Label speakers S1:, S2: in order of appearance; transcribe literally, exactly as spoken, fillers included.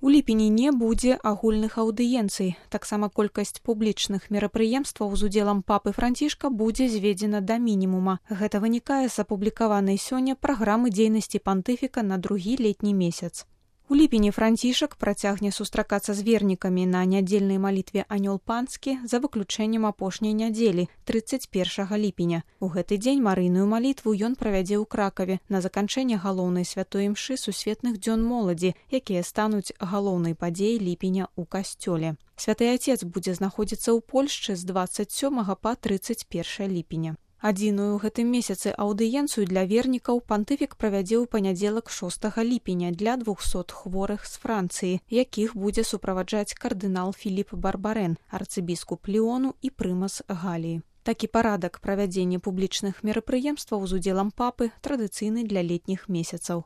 S1: У ліпені не будзе агульных аўдыенцый. Таксама колькасць публічных мерапрыемстваў з удзелам папы Францішка будзе зведзена да мінімума. Гэта вынікае з апублікаванай сёння праграмы дзейнасці пантыфіка на другі летні месяц. У ліпені Францішак працягне сустракацца з вернікамі на нядзельнай малітве «Анёл панскі» за выключэннем апошняй нядзелі, трыццаць першага ліпеня. У гэты дзень марыйную малітву ён правядзе ў Кракаве на заканчэнне галоўнай святой імшы сусветных дзён моладзі, якія стануць галоўнай падзеяй ліпеня ў касцёле. Святы Ацец будзе знаходзіцца ў Польшчы з дваццаць сёмага па трыццаць першае ліпеня. Адзіную ў гэтым месяцы аўдыенцыю для вернікаў пантыфік правядзе ў панядзелак шостага ліпеня для двухсот хворых з Францыі, якіх будзе суправаджаць кардынал Філіп Барбарэн, арцыбіскуп Ліону і прымас Галіі. Такі парадак правядзення публічных мерапрыемстваў з удзелам папы традыцыйны для летніх месяцаў.